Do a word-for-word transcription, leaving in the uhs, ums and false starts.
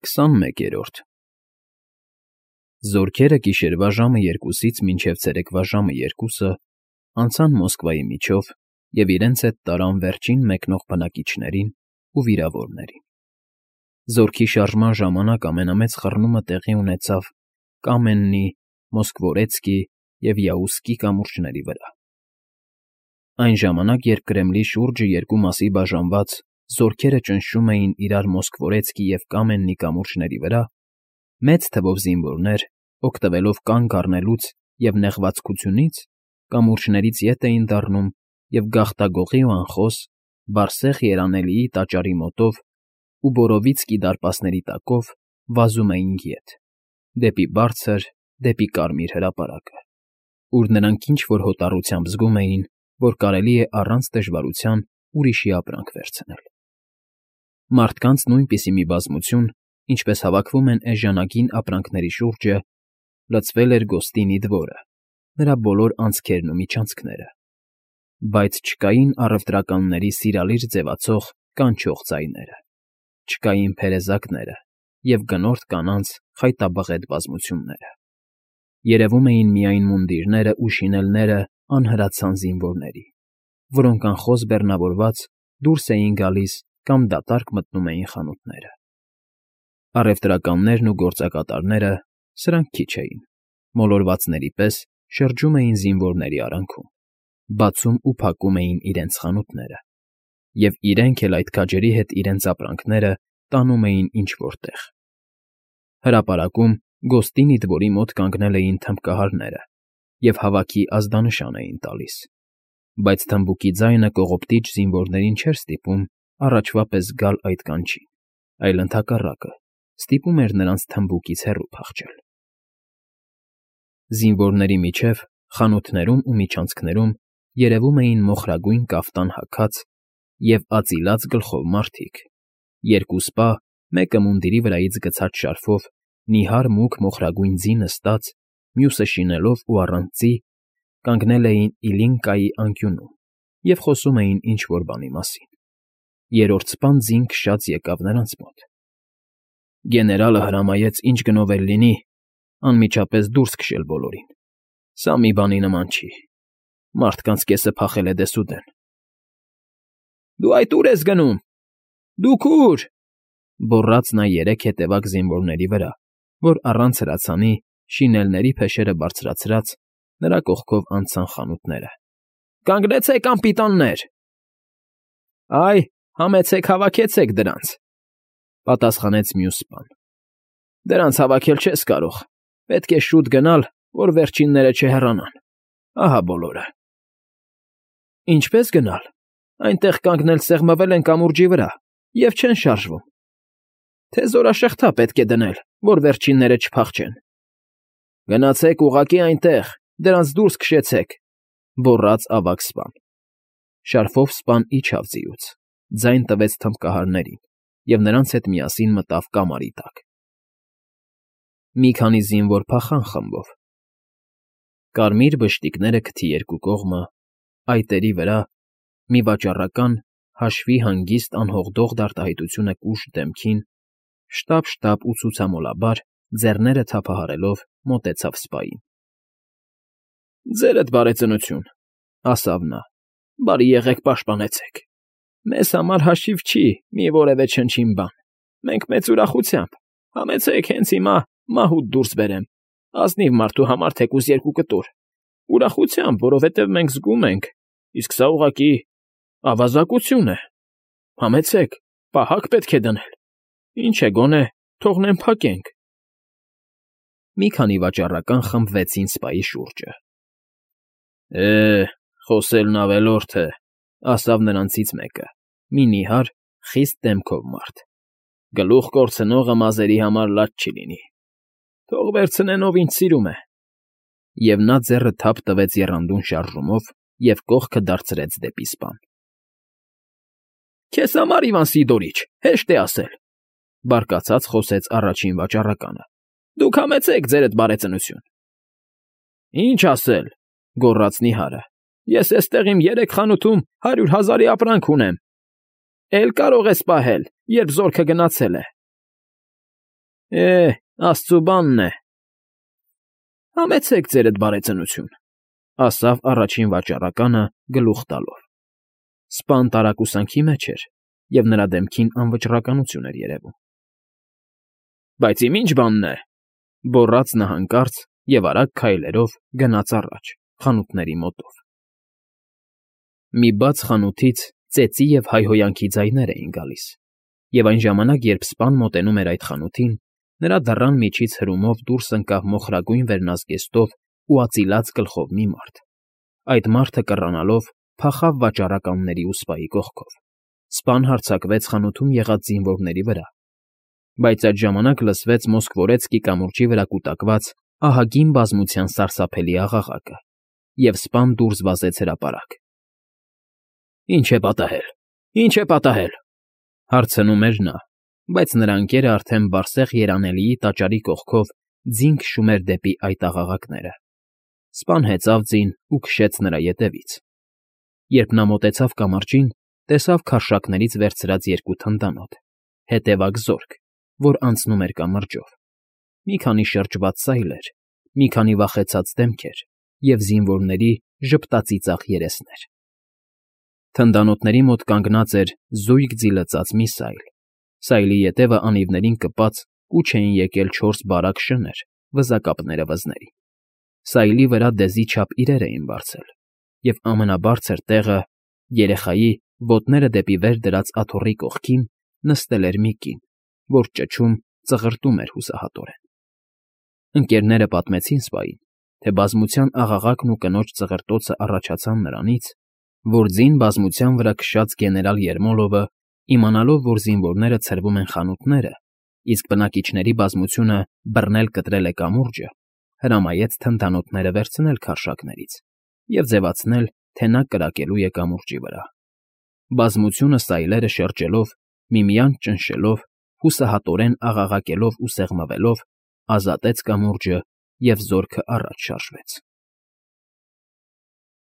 Քսանմեկերորդ Զորքերը գիշերվա ժամը երկուսից մինչև ցերեկվա ժամը երկուսը անցան Մոսկվայի միջով և իրենց հետ տարան վերջին մեկնող բնակիչներին ու վիրավորներին. զորքի շարժման ժամանակ ամենամեծ խռնումը տեղի ունեցավ Կամեննի, Մոսկվորեցկի և Յաուսկի կամուրջների վրա. Այն ժամանակ, երբ Կրեմլի շուրջը երկու մասի բաժանված, զորքերը ճնշում էին իրար Մոսկվորեցկի և Կամեննի կամուրջների վրա, մեծ թվով զինվորներ, օգտվելով կանգ առնելուց և նեղվածքությունից, կամուրջներից ետ էին դառնում և գաղտագողի ու անխոս, բարսեղ երանելիի տաճարի մոտով ու Բորովիցկի դարպասների տակով վազում էին ետ, դեպի բարձր, դեպի Կարմիր հրապարակը, ուր նրանք ինչ֊որ հոտառությամբ զգում էին, որ կարելի է առանց դժվարության ուրիշի ապրանք վերցնել. Մարդկանց նույնպիսի մի բազմություն, ինչպես հավաքվում են էժանագին ապրանքների շուրջը, լցվել էր Գոստինի դվորը, նրա բոլոր անցքերն ու միջանցքները, բայց չկային առևտրականների սիրալիր ձևացող կանչող ձայները, չկային փերեզակները և գնորդ կանանց խայտաբղետ բազմությունները. երևում էին միայն մունդիրներն ու շինելները անհրացան զինվորների, որոնք անխոս բեռնավորված դուրս էին գալիս կամ դատարկ մտնում էին խանութները. առևտրականներն ու գործակատարները, սրանք քիչ էին, մոլորվածների պես շրջում էին զինվորների արանքում, բացում ու փակում էին իրենց խանութները, և իրենք էլ այդ քաջերի հետ իրենց ապրանքները տանում էին ինչ֊որ տեղ. հրապարակում Գոստինի դվորի մոտ կանգնել էին թմբկահարները և հավաքի ազդանշան էին տալիս, բայց թմբուկի ձայնը կողոպտիչ զինվորներին չէր ստիպում առաջվա պես գալ այդ կանչին, այլ ընդհակառակը, ստիպում էր նրանց թմբուկից հեռու փախչել. Զինվորների միջև, խանութներում ու միջանցքներում երևում էին մոխրագույն կաֆտան հագած և ածիլած գլխով մարդիկ, երկու սպա, մեկը մունդիրի վրայից գցած շարֆով, նիհար մուգ մոխրագույն ձի նստած, մյուսը շինելով ու առանց ձի, կանգնել էին Իլինկայի անկյունում և խոսում էին ինչ֊որ բանի մասին. երրորդ սպան ձին քշած եկավ նրանց մոտ. Գեներալը հրամայեց ինչ գնով էլ լինի, անմիջապես դուրս քշել բոլորին, սա մի բանի նման չի, մարդկանց կեսը փախել է դեսուդեն։ ֊ Դու այդ ո՞ւր ես գնում, դուք ո՞ւր, գոռաց նա երեք հետևակ զինվորների վրա, որ առանց հրացանի, շինելների փեշերը բարձրացրած, նրա կողքով անցան խանութները։ ֊ Կանգնեցեք, անպիտաններ… ֊ Այ, համեցեք հավաքեցեք դրանց,֊ պատասխանեց մյուս սպան,֊ դրանց հավաքել չես կարող, պետք է շուտ գնալ, որ վերջինները չհեռանան, ահա բոլորը։ ֊ Ինչպե՞ս գնալ, այնտեղ կանգնել սեղմվել են կամուրջի վրա և չեն շարժվում, թե զորաշղթա պետք է դնել, որ վերջինները չփախչեն։ ֊ Գնացեք ուղղակի այնտեղ, դրանց դուրս քշեցեք,֊ գոռաց ավագ սպան։ Շարֆով սպան իջավ ձիուց, ձայն տվեց թմբկահարներին և նրանց հետ միասին մտավ կամարի տակ։ Մի քանի զինվոր փախան խմբով. կարմիր բշտիկները քթի երկու կողմը, այտերի վրա, մի վաճառական, հաշվի հանգիստ անհողդող դարտահայտությունը կուշտ դեմքին, շտապ֊շտապ ու ցուցամոլաբար, ձեռները թափահարելով, մոտեցավ սպային։ ֊ Ձերդ բարեծնություն,֊ ասավ նա,֊ բարի եղեք պաշտպանեցեք, մեզ համար հաշիվ չի մի որևէ չնչին բան, մենք մեծ ուրախությամբ, համեցեք հենց հիմա մահուտ դուրս բերեմ, ազնիվ մարդու համար թեկուզ երկու կտոր, ուրախությամբ, որովհետև մենք զգում ենք, իսկ սա ուղղակի ավազակություն է, համեցեք, պահակ պետք է դնել, ինչ է գոնե, թողնեմ փակենք։ Մի քանի վաճառական խմբվեցին սպայի շուրջը։ ֊ Է, խոսելն ավելորդ է,֊ ասավ նրանցից մեկը, մի նիհար, խիստ դեմքով մարդ,֊ գլուխ կորցնողը մազերի համար լաց չի լինի, թող վերցնեն, ով ինչ սիրում է։ Եվ նա ձեռը թափ տվեց եռանդուն շարժումով և կողքը դարձրեց դեպի սպան։ ֊ Քեզ համար, Իվան Սիդորիչ, հեշտ է ասել,֊ բարկացած խոսեց առաջին վաճառականը,֊ դուք համեցեք, ձերդ բարեծնություն։ ֊ Ինչ ասել,֊ գոռաց նիհարը,֊ ես էստեղ իմ երեք խանութում հարյուր հազարի ապրանք ունեմ, էլ կարող ես պահել, երբ զորքը գնացել է։ Է, աստծու բանն է։ Համեցեք ձերդ, բարեծնություն, ասավ առաջին վաճառականը գլուխ տալով. սպան տարակուսանքի մեջ էր, և նրա դեմքին անվճռականություն էր երևում։ Բայց իմ ի՞նչ բանն է,֊ գոռաց նա հանկարծ և արագ քայլերով գնաց առաջ, խանութների մոտով։ Մի բաց խանութից ծեծի և հայհոյանքի ձայներ էին գալիս, և այն ժամանակ, երբ սպան մոտենում էր այդ խանութին, նրա դռան միջից հրումով դուրս ընկավ մոխրագույն վերնազգեստով ու արծիված գլխով մի մարդ. այդ մարդը կռանալով փախավ վաճառականների ու սպայի կողքով։ Սպան հարձակվեց խանութում եղած զինվորների վրա, բայց այդ ժամանակ լսվեց Մոսկվորեցկի կամուրջի վրա կուտակված ահագին բազմության սարսափելի աղաղակը, և սպան դուրս վազեց հրապարակ։ Ի՞նչ է պատահել, ի՞նչ է պատահել,֊ հարցնում էր նա, բայց նրա ընկերը արդեն բարսեղ երանելիի տաճարի կողքով ձին քշում էր դեպի այդ աղաղակները։ Սպան հեծավ ձին ու քշեց նրա ետևից։ Երբ նա մոտեցավ կամրջին, տեսավ քարշակներից վերցրած երկու թնդանոթ, հետևակ զորք, որ անցնում էր կամրջով, մի քանի շրջված սայլեր, մի քանի վախեցած դեմքեր և զինվորների ժպտածիծաղ երեսներ։ Թնդանոթների մոտ կանգնած էր զույգ ձիլծած մի սայլ։ Սայլի ետևը անիվներին կպած կուչ էին եկել չորս բարակ շներ վզակապները վզներին։ Սայլի վրա դեզի չափ իրեր էին բարձել, և ամենաբարձր տեղը, երեխայի, ոտները դեպի վեր դրած աթոռի կողքին, նստել էր մի կին, որ ճչում, ծղրտում էր հուսահատորեն։ Ընկերները պատմեցին սպային, թե բազմության աղաղակն ու կնոջ ծղրտոցը առաջացան նրանից, որ ձին բազմության վրա քշած գեներալ Երմոլովը, իմանալով, որ զինվորները ցրվում են խանութները, իսկ բնակիչների բազմությունը բռնել֊կտրել է կամուրջը, հրամայեց թնդանոթները վերցնել քարշակներից և ձևացնել, թե նա կրակելու է կամուրջի վրա։ Բազմությունը սայլերը շրջելով, միմյանց ճնշելով, հուսահատորեն աղաղակելով ու սեղմվելով, ազատեց կամուրջը և զորքը առաջ շարժվեց։